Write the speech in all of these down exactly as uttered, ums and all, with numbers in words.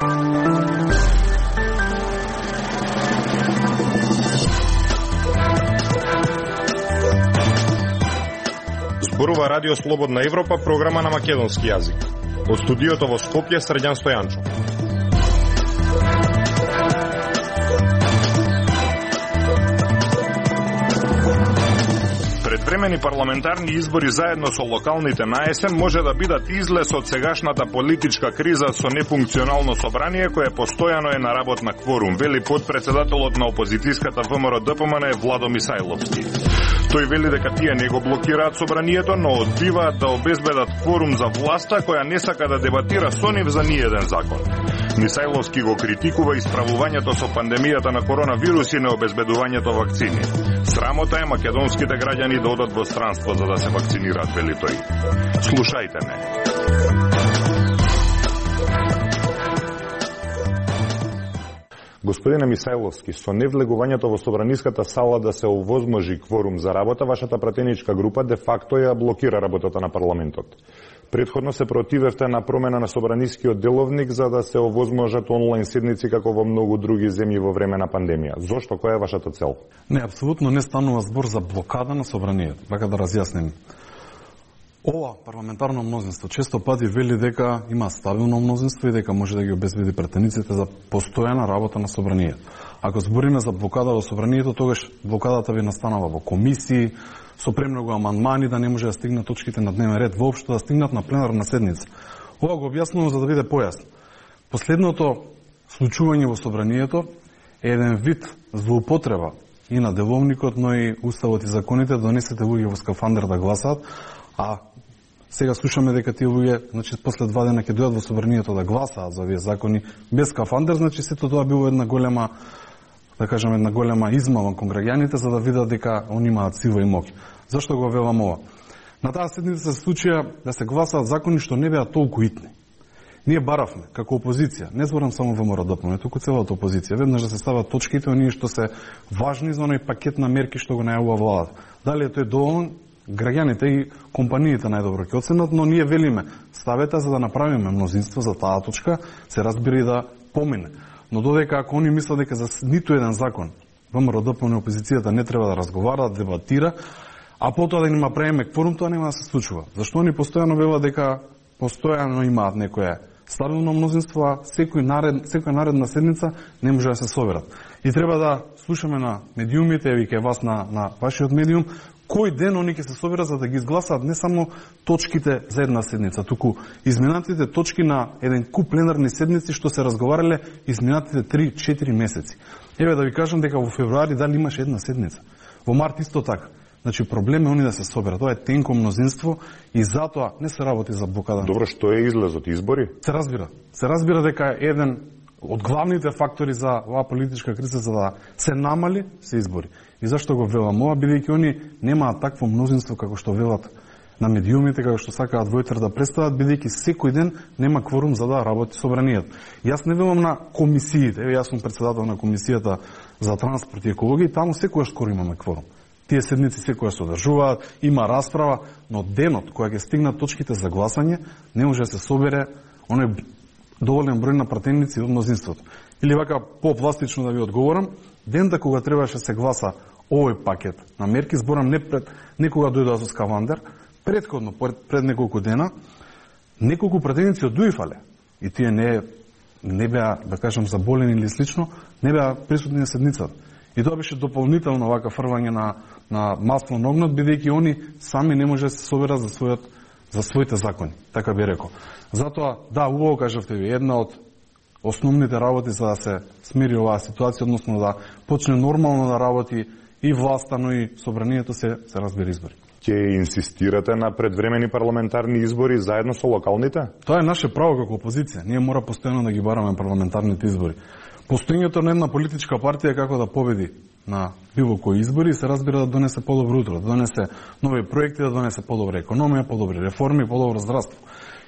Зборува Радио Слободна Европа, програма на македонски јазик. Од студиото во Скопје, Срđan Стојанчо. Предвремени парламентарни избори заедно со локалните на есен може да бидат излез од сегашната политичка криза со нефункционално собрание кое постојано е на работ на кворум, вели подпредседателот на опозицијската ВМРО-ДПМН Владо Мисајловски. Тој вели дека тие не го блокираат собранието, но одбиваат да обезбедат кворум за власта која не сака да дебатира со нив за ниеден закон. Мисајловски го критикува исправувањето со пандемијата на коронавирус и необезбедувањето вакцини. Срамота е македонските граѓани да одат во странство за да се вакцинираат, вели тој. Слушајте ме. Господине Мисајловски, со невлегувањето во собраниската сала да се овозможи кворум за работа, вашата пратеничка група де факто ја блокира работата на парламентот. Претходно се противевте на промена на собранискиот деловник за да се овозможат онлайн седници како во многу други земји во време на пандемија. Зошто? Која е вашата цел? Не, апсолутно не станува збор за блокада на собранието. Вака да разјасним. Ова парламентарно мнозинство често пати вели дека има стабилно мнозинство и дека може да ги обезбеди претениците за постојана работа на собранието. Ако збориме за блокада во собранието, тогаш блокадата би настанала во комисии, со премногу амандмани да не може да стигнат точките на дневен ред, воопшто да стигнат на пленарна седница. Ова го објаснувам за да биде појасно. Последното случување во собранието е еден вид злоупотреба и на деловникот, но и уставот и законите да донесете луѓе во скафандер да гласаат, а сега слушаме дека тие луѓе, значи после два дена ќе дојдат во собранието да гласаат за овие закони без скафандер, значи сето тоа било една голема, да кажеме, една голема измама кон граѓаните за да видат дека они имаат сила и моќ. Зашто го велам ова? На таа седница се случија да се гласаат закони што не беа толку итни. Ние баравме како опозиција, не зборам само ВМРО-ДПМН, туку целата опозиција, веднаш да се стават точките оние што се важни за оној пакет на мерки што го најавува владата. Дали е тој доволен? Граѓаните и компаниите најдобро ќе оценат, но ние велиме ставете за да направиме мнозинство за таа точка, се разбира и да помине. Но додека ако они мислат дека за ниту еден закон ВМРО-ДПМН опозицијата не треба да разговара, да дебатира, а потоа да нема правиме кворум, тоа нема да се случува. Зашто они постојано велат дека постојано имаат некое стабилно мнозинство, а секој наред, секоја наредна седница не може да се соберат. И треба да слушаме на медиумите, еви кај вас на, на вашиот медиум, кој ден они ќе се соберат за да ги изгласаат не само точките за една седница, туку изминатите точки на еден куп пленарни седници што се разговарале изминатите три-четири месеци. Еве да ви кажам дека во февруари дали имаше една седница. Во март исто така. Значи проблем е они да се соберат. Тоа е тенко мнозинство и затоа не се работи за блокада. Добро, што е излезот, избори? Се разбира. Се разбира дека еден од главните фактори за оваа политичка криза за да се намали се избори. И зашто го велам ова, бидејќи они немаат такво мнозинство како што велат на медиумите, како што сакаат војтер да представат, бидејќи секој ден нема кворум за да работи собранието. Јас не велам на комисиите, еве јас сум председател на комисијата за транспорт и екологија и таму секогаш скоро имаме кворум. Тие седници секоја се одржуваат, има расправа, но денот кога ќе стигнат точките за гласање, не може да се собере оној доволен број на пратеници од мнозинството. Или вака попластично да ви одговорам, дента кога требаше се гласа овој пакет на мерки, зборам не пред некога дојдоа со скафандер, предходно пред, пред неколку дена, неколку пратеници од Дуифале и тие не не беа, да кажам, заболени или слично, не беа присутни на седницата. И тоа беше дополнително вака фрвање на на масло на огнот, бидејќи они сами не може да се соберат за својот за своите закони, така би рекол. Затоа, да, убаво кажавте ви, една од основните работи за да се смири оваа ситуација, односно да почне нормално да работи и власта, но и собранието се, се разбира избори. Ќе инсистирате на предвремени парламентарни избори заедно со локалните? Тоа е наше право како опозиција. Ние мора постојано да ги бараме парламентарните избори. Постоењето на една политичка партија како да победи на било кои избори се разбира да донесе подобро утро, да донесе нови проекти, да донесе подобра економија, подобри реформи, подобро здравство.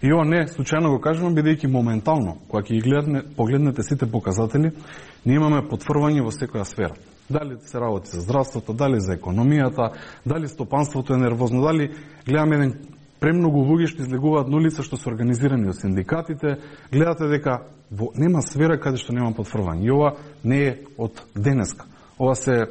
И ова не случајно го кажувам, бидејќи моментално, кога ќе ги погледнете сите показатели, ние имаме потврдување во секоја сфера. Дали се работи за здравството, дали за економијата, дали стопанството е нервозно, дали гледаме еден премногу луѓе што излегуваат на улица, што се организирани од синдикатите, гледате дека во, нема сфера каде што нема потврдување. И ова не е од денеска. Ова се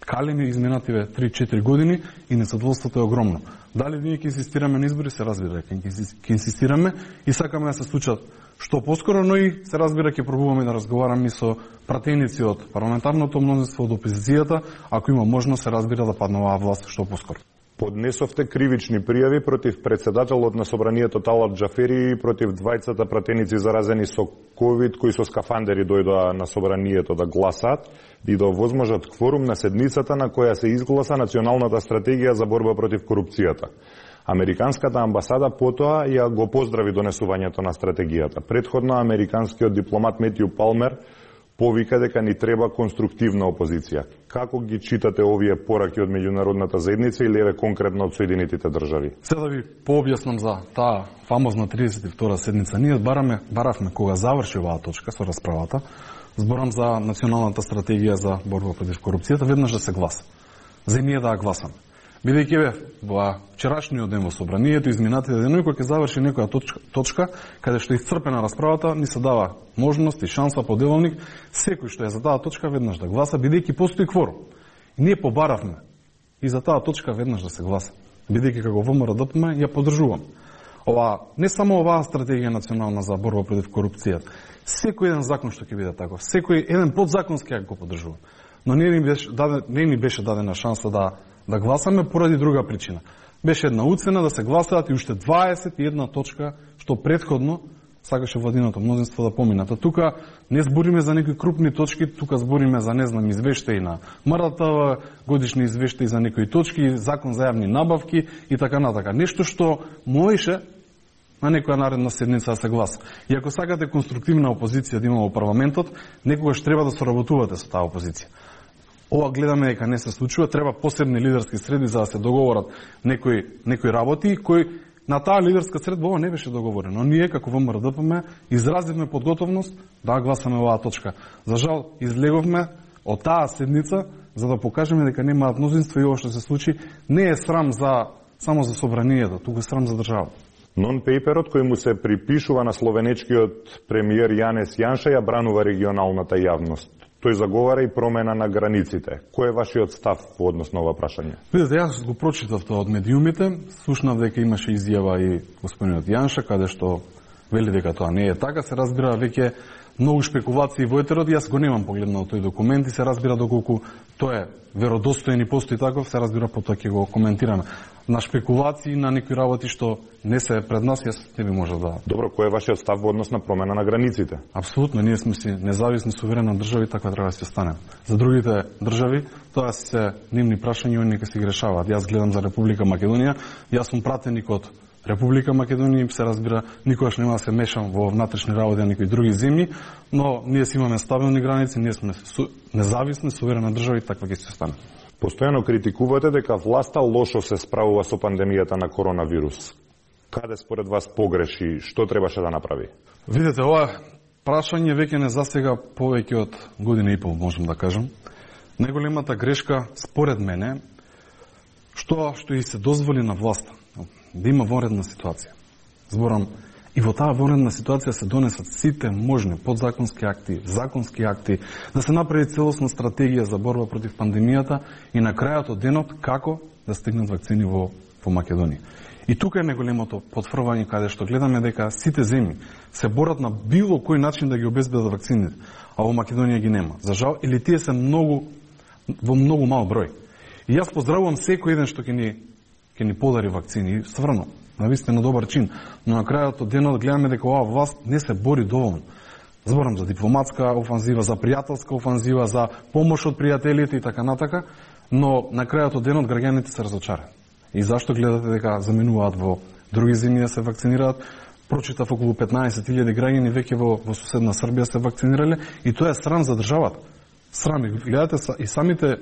калеми изминативе три-четири години и незадоволството е огромно. Дали ние ќе инсистираме на избори, се разбира дека ќе инсистираме и сакаме да се случат што поскоро, но и се разбира ќе пробуваме да разговараме со пратеници од парламентарното мнозинство, од опозицијата, ако има можност се разбира да падне оваа власт што поскоро. Поднесовте кривични пријави против председателот на собранието Талат Џафери и против двајцата пратеници заразени со ковид кои со скафандери дојдоа на собранието да гласаат и да овозможат кворум на седницата на која се изгласа националната стратегија за борба против корупцијата. Американската амбасада потоа ја го поздрави донесувањето на стратегијата. Претходно американскиот дипломат Метју Палмер повика дека ни треба конструктивна опозиција. Како ги читате овие пораки од меѓународната заедница или еве конкретно од Соединетите држави? Се да ви пообјаснам за таа фамозна тридесет и втора седница. Ние бараме, баравме кога заврши оваа точка со расправата, зборам за националната стратегија за борба против корупцијата, веднаш да се гласа. За ние да ја гласаме. Бидејќи бе во вчерашниот ден во собранието, изминатите денови, кога ќе заврши некоја точка, точка каде што е исцрпена расправата, ни се дава можност и шанса по деловник секој што е за таа точка веднаш да гласа, бидејќи постои кворум. И ние побаравме и за таа точка веднаш да се гласа. Бидејќи како ВМРО-ДПМ ја поддржувам. Ова не само оваа стратегија национална за борба против корупцијата, секој еден закон што ќе биде таков, секој еден подзаконски акт го поддржувам. Но не ни беше дадена, не ни беше дадена шанса да да гласаме поради друга причина. Беше една уцена да се гласаат и уште дваесет и една точка што претходно сакаше владиното мнозинство да поминат. А тука не збориме за некои крупни точки, тука збориме за, не знам, извештаи на МРТВ, годишни извештаи за некои точки, закон за јавни набавки и така натака. Нешто што можеше на некоја наредна седница да се гласа. И ако сакате конструктивна опозиција да има во парламентот, некогаш треба да соработувате со таа опозиција. Ова гледаме дека не се случува, треба посебни лидерски среди за да се договорат некои некои работи кои на таа лидерска средба ова не беше договорено. Ние како ВМРО-ДПМ изразивме подготовност да гласаме оваа точка. За жал излеговме од таа седница за да покажеме дека немаат мнозинство и ова што се случи не е срам за само за собранието, туку е срам за држава. Нон-пейперот кој му се припишува на словенечкиот премиер Јанес Јанша ја бранува регионалната јавност. Тој заговара и промена на границите. Кој е вашиот став во однос на ова прашање? Видете, јас го прочитав тоа од медиумите, слушнав дека имаше изјава и господинот Јанша, каде што вели дека тоа не е така, се разбира веќе многу шпекулации во етерот, јас го немам погледнал тој документ и се разбира доколку тоа е веродостоен и постои таков, се разбира потоа ќе го коментираме. На шпекулации, на некои работи што не се пред нас, јас не би можел да... Добро, кој е вашиот став во однос на промена на границите? Апсолутно, ние сме си независни, суверена држава и така треба да се останеме. За другите држави, тоа се нивни прашања и они нека си ги решаваат. Јас гледам за Република Македонија, јас сум пратеник од Република Македонија, се разбира, никогаш нема да се мешам во внатрешни работи на некои други земји, но ние си имаме стабилни граници, ние сме су... независни, суверена држава и така ќе се останеме. Постојано критикувате дека власта лошо се справува со пандемијата на коронавирус. Каде според вас погреши, што требаше да направи? Видете, ова прашање веќе не засега повеќе од година и пол, можам да кажам. Најголемата грешка, според мене, што што и се дозволи на власта, да има вонредна ситуација. Зборам, и во таа вонредна ситуација се донесат сите можни подзаконски акти, законски акти, да се направи целосна стратегија за борба против пандемијата и на крајот од денот како да стигнат вакцини во, во Македонија. И тука е најголемото потврдување каде што гледаме дека сите земји се борат на било кој начин да ги обезбедат вакцините, а во Македонија ги нема. За жал, или тие се многу во многу мал број. И јас поздравувам секој еден што ќе ни ќе ни подари вакцини, стварно, навистина добар чин, но на крајот од денот гледаме дека оваа власт не се бори доволно. Зборам за дипломатска офанзива, за пријателска офанзива, за помош од пријателите и така натака, но на крајот од денот граѓаните се разочарани. И зашто гледате дека заменуваат во други земји да се вакцинираат? Прочитав околу петнаесет илјади граѓани веќе во, во соседна Србија се вакцинирале и тоа е срам за државата. Срам. И гледате, и самите е,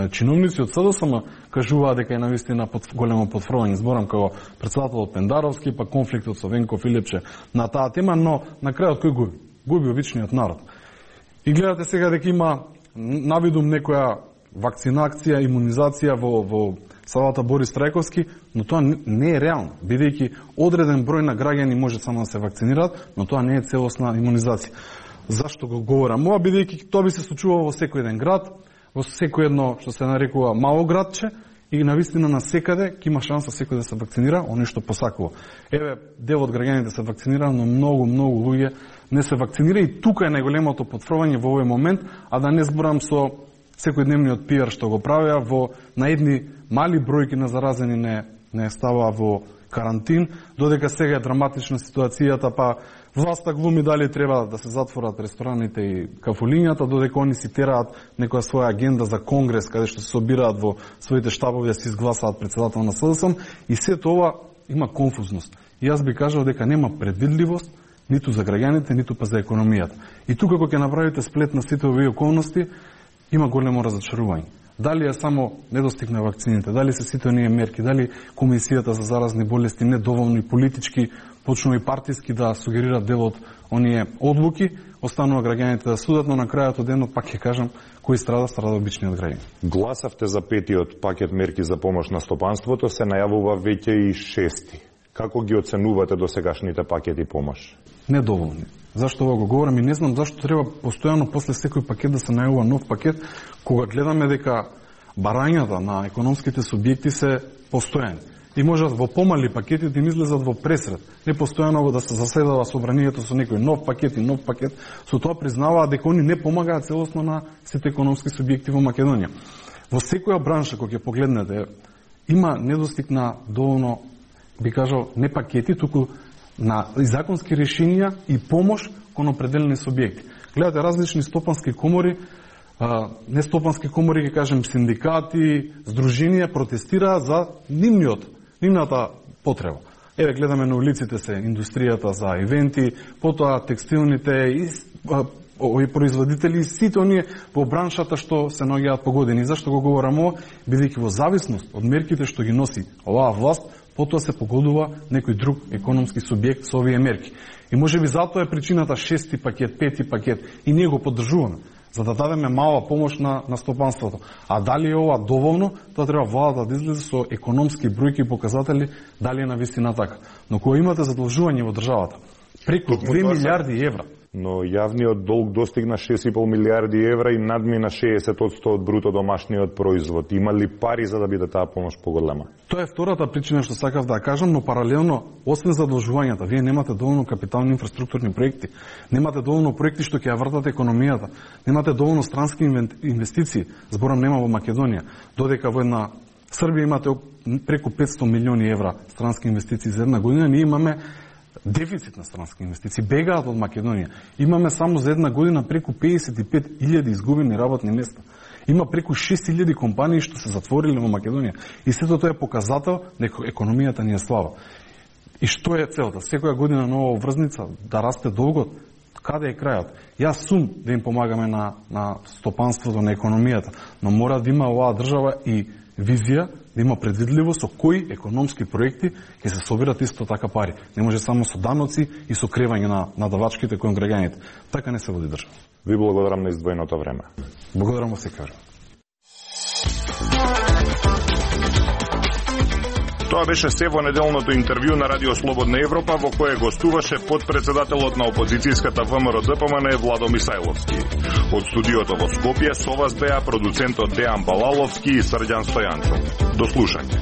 чиновници од СДСМ кажуваат дека е навистина под, големо потврдување. Зборам како председателот Пендаровски, па конфликтот со Венко Филипче на таа тема, но на крајот кој губи? Губи обичниот народ. И гледате сега дека има навидум некоја вакцинација, имунизација во, во салата Борис Трајковски, но тоа не е реално, бидејќи одреден број на граѓани може само да се вакцинираат, но тоа не е целосна имунизација. Зашто го говорам ова? Бидејќи тоа би се случувало во секој еден град, во секој едно што се нарекува мало градче, и навистина на секаде ќе има шанса секој да се вакцинира, оној што посакува. Еве, дел од граѓаните се вакцинира, но многу, многу луѓе не се вакцинира и тука е најголемото потврдување во овој момент, а да не зборам со секојдневниот пиар што го правеа во на едни мали бројки на заразени не не ставаа во карантин, додека сега е драматична ситуацијата, па власта глуми дали треба да се затворат рестораните и кафулињата, додека они си тераат некоја своја агенда за конгрес, каде што се собираат во своите штабови да се изгласаат председател на СДСМ, и сето ова има конфузност. И јас би кажал дека нема предвидливост ниту за граѓаните, ниту па за економијата. И тука кога ќе направите сплет на сите овие околности, има големо разочарување. Дали е само недостиг на вакцините, дали се сите оние мерки, дали Комисијата за заразни болести недоволно и политички, почнува и партиски да сугерираат дел од оние одлуки, останува граѓаните да судат, но на крајот од денот пак ќе кажам кој страда, страда обичниот граѓанин. Гласавте за петиот пакет мерки за помош на стопанството, се најавува веќе и шести. Како ги оценувате досегашните пакети помош? Недоволни. Зашто ова го говорам и не знам зашто треба постојано после секој пакет да се најавува нов пакет, кога гледаме дека барањата на економските субјекти се постојани. И можат во помали пакети да им излезат во пресред. Не постојано да се заседава собранието со некој нов пакет и нов пакет, со тоа признаваат дека они не помагаат целосно на сите економски субјекти во Македонија. Во секоја бранша која ќе погледнете, има недостиг на доволно, би кажал, не пакети, туку на законски решенија и помош кон определени субјекти. Гледате различни стопански комори, не стопански комори, ќе кажем синдикати, здруженија протестираат за нивниот, нивната потреба. Еве гледаме на улиците се индустријата за ивенти, потоа текстилните и овие производители, сите оние во браншата што се наоѓаат погодени. Зашто го говорам ова? Бидејќи во зависност од мерките што ги носи оваа власт, потоа се погодува некој друг економски субјект со овие мерки. И можеби затоа е причината шести пакет, пети пакет, и ние го поддржуваме, за да дадеме мала помош на, на стопанството. А дали е ова доволно, тоа треба владата да излезе со економски бројки и показатели дали е на вистина така. Но кога имате задолжување во државата, преку две милиарди евра, но јавниот долг достигна шест и пол милиарди евра и надмина шеесет одсто од бруто домашниот производ. Има ли пари за да биде таа помош поголема? Тоа е втората причина што сакав да кажам, но паралелно, освен задолжувањата, вие немате доволно капитални инфраструктурни проекти, немате доволно проекти што ќе ја вртат економијата, немате доволно странски инвестиции, зборам нема во Македонија, додека во една Србија имате преку петсто милиони евра странски инвестиции за една година, ние имаме дефицит на странски инвестиции, бегаат од Македонија. Имаме само за една година преку педесет и пет илјади изгубени работни места. Има преку шест илјади компании што се затвориле во Македонија. И сето тоа е показател дека економијата ни е слаба. И што е целта? Секоја година нова врзница, да расте долгот. Каде е крајот? Јас сум да им помагаме на, на стопанството, на економијата, но мора да има оваа држава и визија, да има предвидливост со кои економски проекти ќе се собират исто така пари. Не може само со даноци и со кревање на, на давачките кон граѓаните. Така не се води држава. Ви благодарам на издвоеното време. Благодарам во секој. Тоа беше се во неделното интервју на Радио Слободна Европа, во кое гостуваше подпредседателот на опозицијската ВМРО Д П М Н Владо Мисајловски. Од студиото во Скопје со вас беа продуцентот Дејан Балаловски и Срđan Стојанчов. До слушање.